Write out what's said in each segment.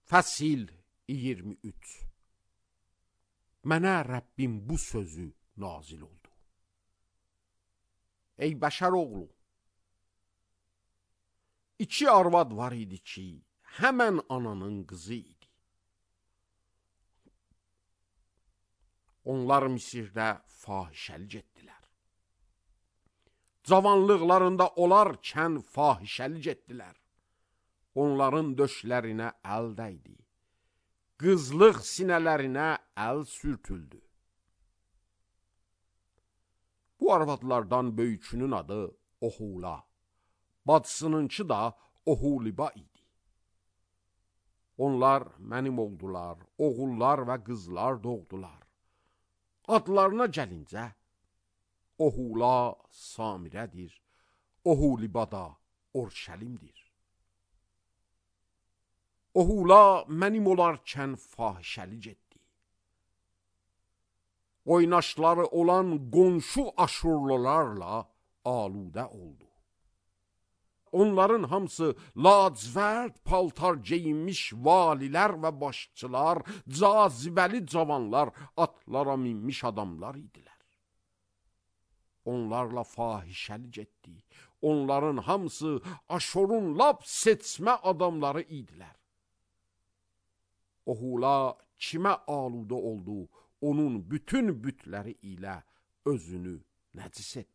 Fəsil 23. Mənə Rəbbim bu sözü nazil oldu. Ey bəşər oğlu, iki arvad var idi ki, həmən ananın qızı idi. Onlar Misirdə fahişəlik etdilər. Cavanlıqlarında olarkən fahişəlik etdilər. Onların döşlərinə əl dəydi. Qızlıq sinələrinə əl sürtüldü. Bu arvadlardan böyükünün adı Ohula, bacısınınki da Oholiba idi. Onlar mənim oldular, oğullar və qızlar doğdular. Adlarına gəlincə, Ohula Samirədir, Oholiba da Orşəlimdir. Ohula mənim olarkən fahişəlik etdi. Oynaşları olan qonşu aşurlularla aludə oldu. Onların hamısı lacivərd paltar geyinmiş valilər və başçılar, cazibəli cavanlar, atlara minmiş adamlar idilər. Onlarla fahişəlik etdi. Onların hamısı Aşurun lap seçmə adamları idilər. Ohula kimə aludə oldu, onun bütün bütləri ilə özünü nəcis etdi.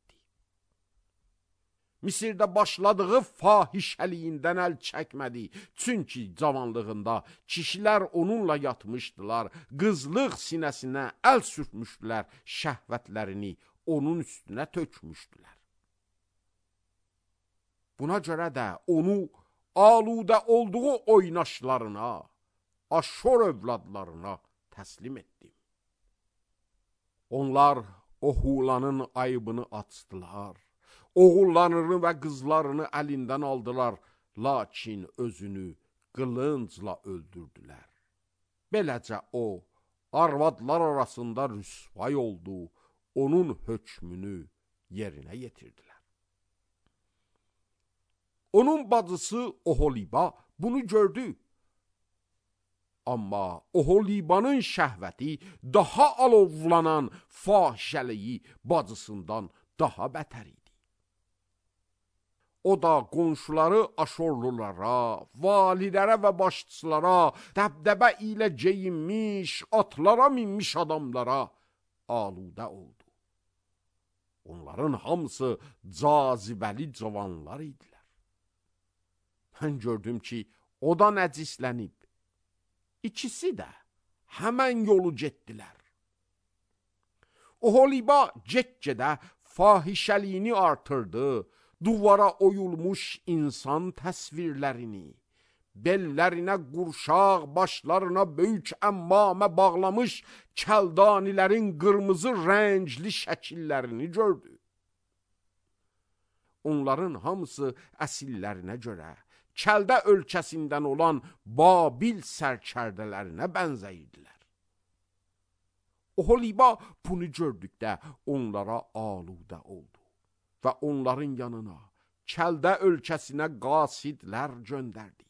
Misirdə başladığı fahişəliyindən əl çəkmədi. Çünki cavanlığında kişilər onunla yatmışdılar, qızlıq sinəsinə əl sürtmüşdülər, şəhvətlərini onun üstünə tökmüşdülər. Buna görə də onu aludə olduğu oynaşlarına, Aşur övladlarına təslim etdim. Onlar Ohulanın ayıbını açdılar, oğullarını və qızlarını əlindən aldılar, lakin özünü qılıncla öldürdülər. Beləcə o, arvadlar arasında rüsvay oldu, onun hökmünü yerinə yetirdilər. Onun bacısı Oholiba bunu gördü. Amma Oholibanın şəhvəti daha alovlanan fahişəliyi bacısından daha bətər idi. O da qonşuları Aşurlulara, valilərə və başçılara, dəbdəbə ilə geyinmiş, atlara minmiş adamlara aludə oldu. Onların hamısı cazibəli cavanlar idilər. Mən gördüm ki, o da nəcislənib. İkisi də həmən yolu getdilər. Oholiba get-gedə fahişəliyini artırdı, duvara oyulmuş insan təsvirlərini, bellərinə qurşaq, başlarına böyük əmmamə bağlamış kəldanilərin qırmızı rəngli şəkillərini gördü. Onların hamısı əsillərinə görə Kəldə ölkəsindən olan Babil sərkərdələrinə bənzəyirdilər. Oholiba bunu gördükdə onlara aludə oldu və onların yanına Kəldə ölkəsinə qasidlər göndərdi.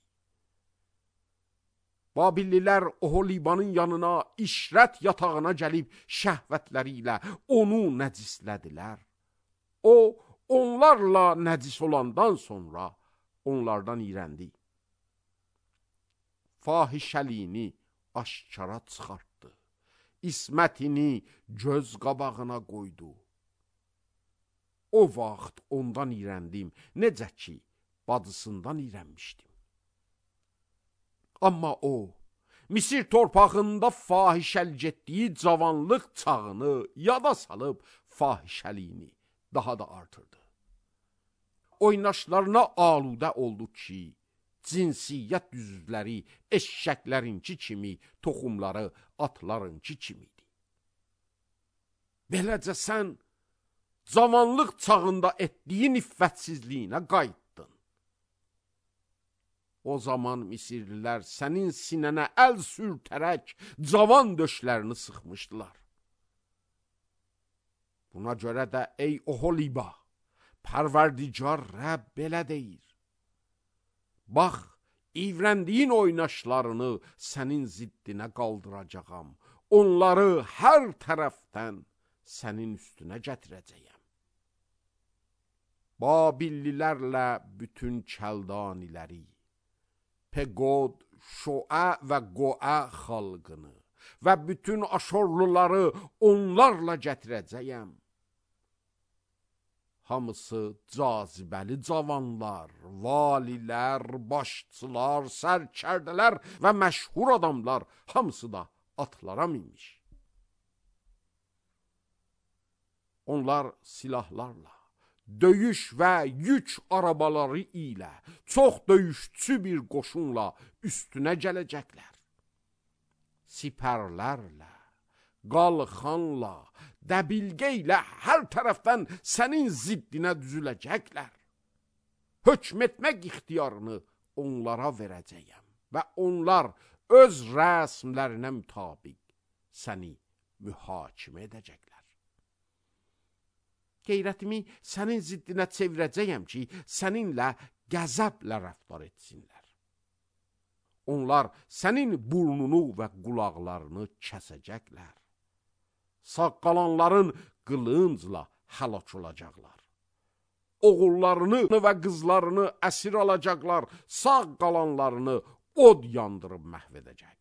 Babililər Oholibanın yanına işrət yatağına gəlib şəhvətləri ilə onu nəcislədilər. O, onlarla nəcis olandan sonra onlardan iğrəndi. Fahişəliyini aşkara çıxartdı. İsmətini göz qabağına qoydu. O vaxt ondan iğrəndim, necə ki, bacısından iğrənmişdim. Amma o, Misir torpağında fahişəlik etdiyi cavanlıq çağını yada salıb fahişəliyini daha da artırdı. Oynaşlarına aludə oldu ki, cinsiyyət düzləri eşşəklərinki kimi, toxumları atlarınki kimiydi. Beləcə sən cavanlıq çağında etdiyi nifrətsizliyinə qayıtdın. O zaman Misirlilər sənin sinənə əl sürtərək cavan döşlərini sıxmışdılar. Buna görə də ey Oholiba, Pərverdigar Rəbb belə deyir. Bax, ivrəndiyin oynaşlarını sənin ziddinə qaldıracağam. Onları hər tərəfdən sənin üstünə gətirəcəyəm. Babillilərlə bütün kəldaniləri, Peqod, Şoə və Qoə xalqını və bütün Aşorluları onlarla gətirəcəyəm. Hamısı cazibəli cavanlar, valilər, başçılar, sərkərdələr və məşhur adamlar, hamısı da atlara minmiş. Onlar silahlarla, döyüş və yük arabaları ilə, çox döyüşçü bir qoşunla üstünə gələcəklər. Sipərlərlə, qalxanla, dəbilgə ilə hər tərəfdən sənin ziddinə düzüləcəklər. Hökm etmək ixtiyarını onlara verəcəyəm və onlar öz rəsmlərinə mütabiq səni mühakimə edəcəklər. Qeyrətimi sənin ziddinə çevirəcəyəm ki, səninlə qəzəblə rəftar etsinlər. Onlar sənin burnunu və qulaqlarını kəsəcəklər. Sağ qalanların qılıncla həlak olacaqlar. Oğullarını və qızlarını əsir alacaqlar, sağ qalanlarını od yandırıb məhv edəcək.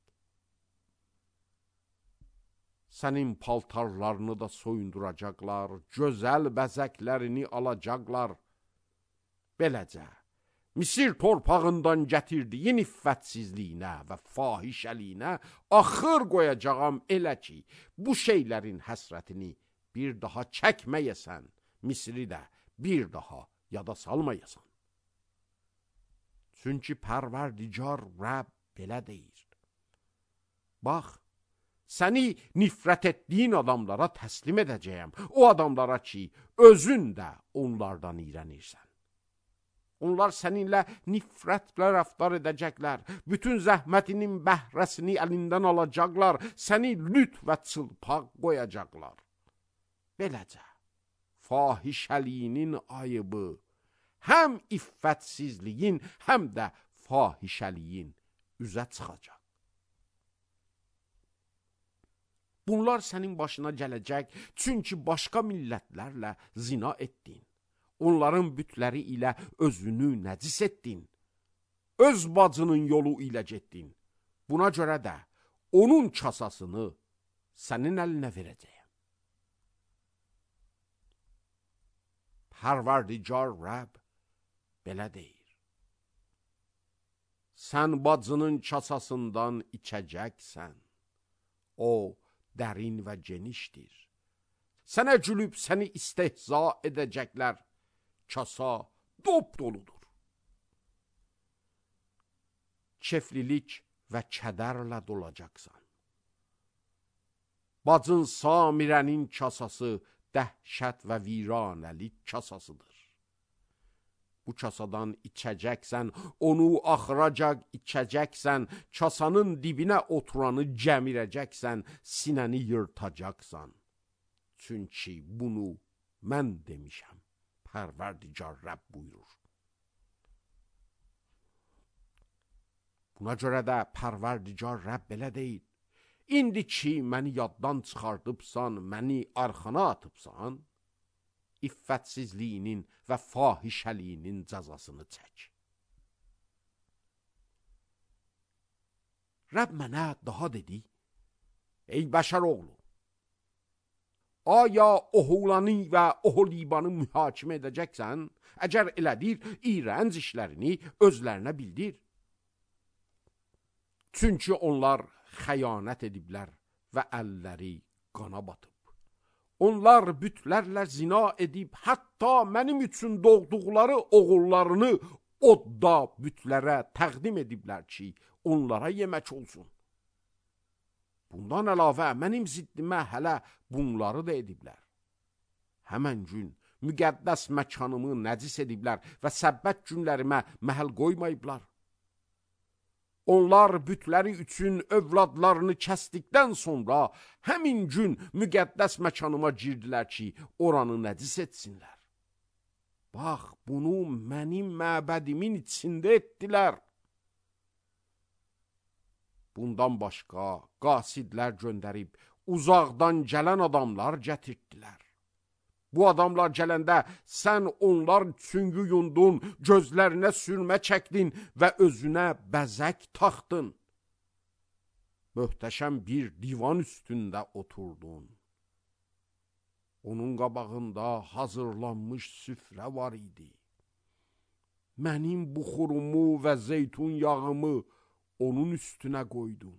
Sənin paltarlarını da soyunduracaqlar, gözəl bəzəklərini alacaqlar. Beləcə, Misir torpağından gətirdiyin iffətsizliyinə və fahişəliyinə axır qoyacağam elə ki, bu şeylərin həsrətini bir daha çəkməyəsən, Misri də bir daha yada salmayasan. Çünki Pərverdigar Rəbb belə deyir. Bax, səni nifrət etdiyin adamlara təslim edəcəyəm, o adamlara ki, özün də onlardan iyrənirsən. Onlar səninlə nifrətlə rəftar edəcəklər, bütün zəhmətinin bəhrəsini əlindən alacaqlar, səni lüt və çılpaq qoyacaqlar. Beləcə, fahişəliyinin ayıbı, həm iffətsizliyin, həm də fahişəliyin üzə çıxacaq. Bunlar sənin başına gələcək, çünki başqa millətlərlə zina etdin. Onların bütləri ilə özünü nəcis etdin. Öz bacının yolu ilə getdin. Buna görə də onun kasasını sənin əlinə verəcəyəm. Pərverdigar Rəbb belə deyir. Sən bacının kasasından içəcəksən. O dərin və genişdir. Sənə gülüb səni istehza edəcəklər. Kasa dop doludur. Keflilik və kədərlə dolacaqsan. Bacın Samirənin kasası dəhşət və viranəlik kasasıdır. Bu kasadan içəcəksən, onu axıracaq içəcəksən, kasanın dibinə oturanı gəmirəcəksən, sinəni yırtacaqsan. Çünki bunu mən demişəm. Pərverdigar Rəbb buyurur. Buna görə də Pərverdigar Rəbb belə deyil. İndi ki, məni yaddan çıxardıbsan, məni arxana atıbsan, iffətsizliyinin və fahişəliyinin cəzasını çək. Rəbb mənə daha dedi, ey bəşər oğlu, aya Oholani və Oholibanı mühakimə edəcəksən, əgər elədir, iyrənc işlərini özlərinə bildir. Çünki onlar xəyanət ediblər və əlləri qana batıb. Onlar bütlərlə zina edib, hətta mənim üçün doğduqları oğullarını odda bütlərə təqdim ediblər ki, onlara yemək olsun. Bundan əlavə mənim ziddimə hələ bunları da ediblər. Həmən gün müqəddəs məkanımı nəcis ediblər və səbbət günlərimə məhəl qoymayıblar. Onlar bütləri üçün övladlarını kəsdikdən sonra həmin gün müqəddəs məkanıma girdilər ki, oranı nəcis etsinlər. Bax, bunu mənim məbədimin içində etdilər. bundan başqa qasidlər göndərib uzaqdan gələn adamlar gətirdilər. Bu adamlar gələndə sən onlar üçün yuyundun, gözlərinə sürmə çəkdin və özünə bəzək taxdın. Möhtəşəm bir divan üstündə oturdun. Onun qabağında hazırlanmış süfrə var idi. Mənim buxurumu və zeytun yağımı onun üstünə qoydun.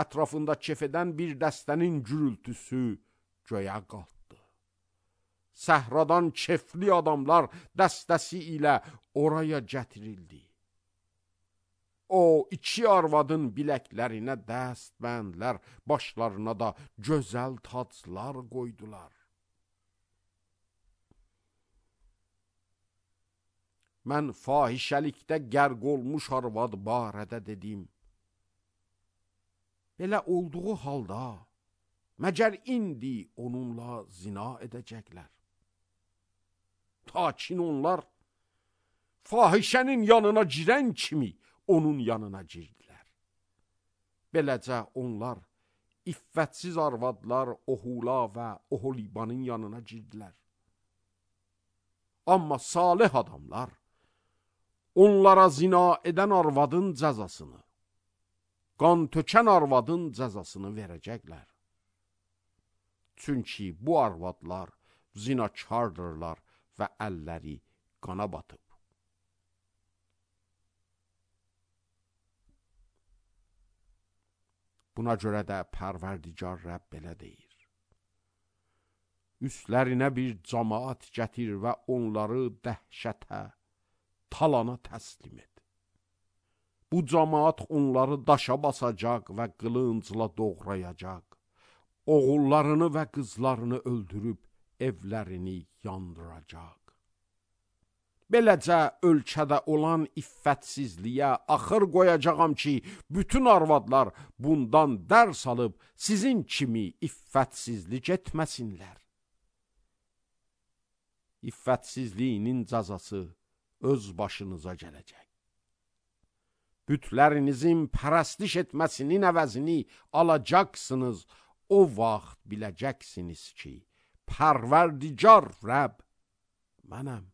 Ətrafında kef edən bir dəstənin gürültüsü göyə qalxdı. Səhradan kefli adamlar dəstəsi ilə oraya gətirildi. O iki arvadın biləklərinə dəstbəndlər, başlarına da gözəl taclar qoydular. Mən fahişəlikdə qərq olmuş arvad barədə dedim. Belə olduğu halda, məgər indi onunla zina edəcəklər. Takin onlar, fahişənin yanına girən kimi onun yanına girdilər. Beləcə onlar, iffətsiz arvadlar Ohula və Oholibanın yanına girdilər. Amma salih adamlar, onlara zina edən arvadın cəzasını, qan tökən arvadın cəzasını verəcəklər. Çünki bu arvadlar zinakardırlar və əlləri qana batıb. Buna görə də Pərverdigar Rəbb belə deyir. Üstlərinə bir cəmaat gətir və onları dəhşətə, talana təslim et. Bu cəmaat onları daşa basacaq və qılıncla doğrayacaq. Oğullarını və qızlarını öldürüb evlərini yandıracaq. Beləcə ölkədə olan iffətsizliyə axır qoyacağam ki, bütün arvadlar bundan dərs alıb sizin kimi iffətsizlik etməsinlər. İffətsizliyinin cəzası öz başınıza gələcək. Bütlərinizin pərəstiş etməsinin əvəzini alacaqsınız. O vaxt biləcəksiniz ki, Pərverdigar Rəbb mənəm.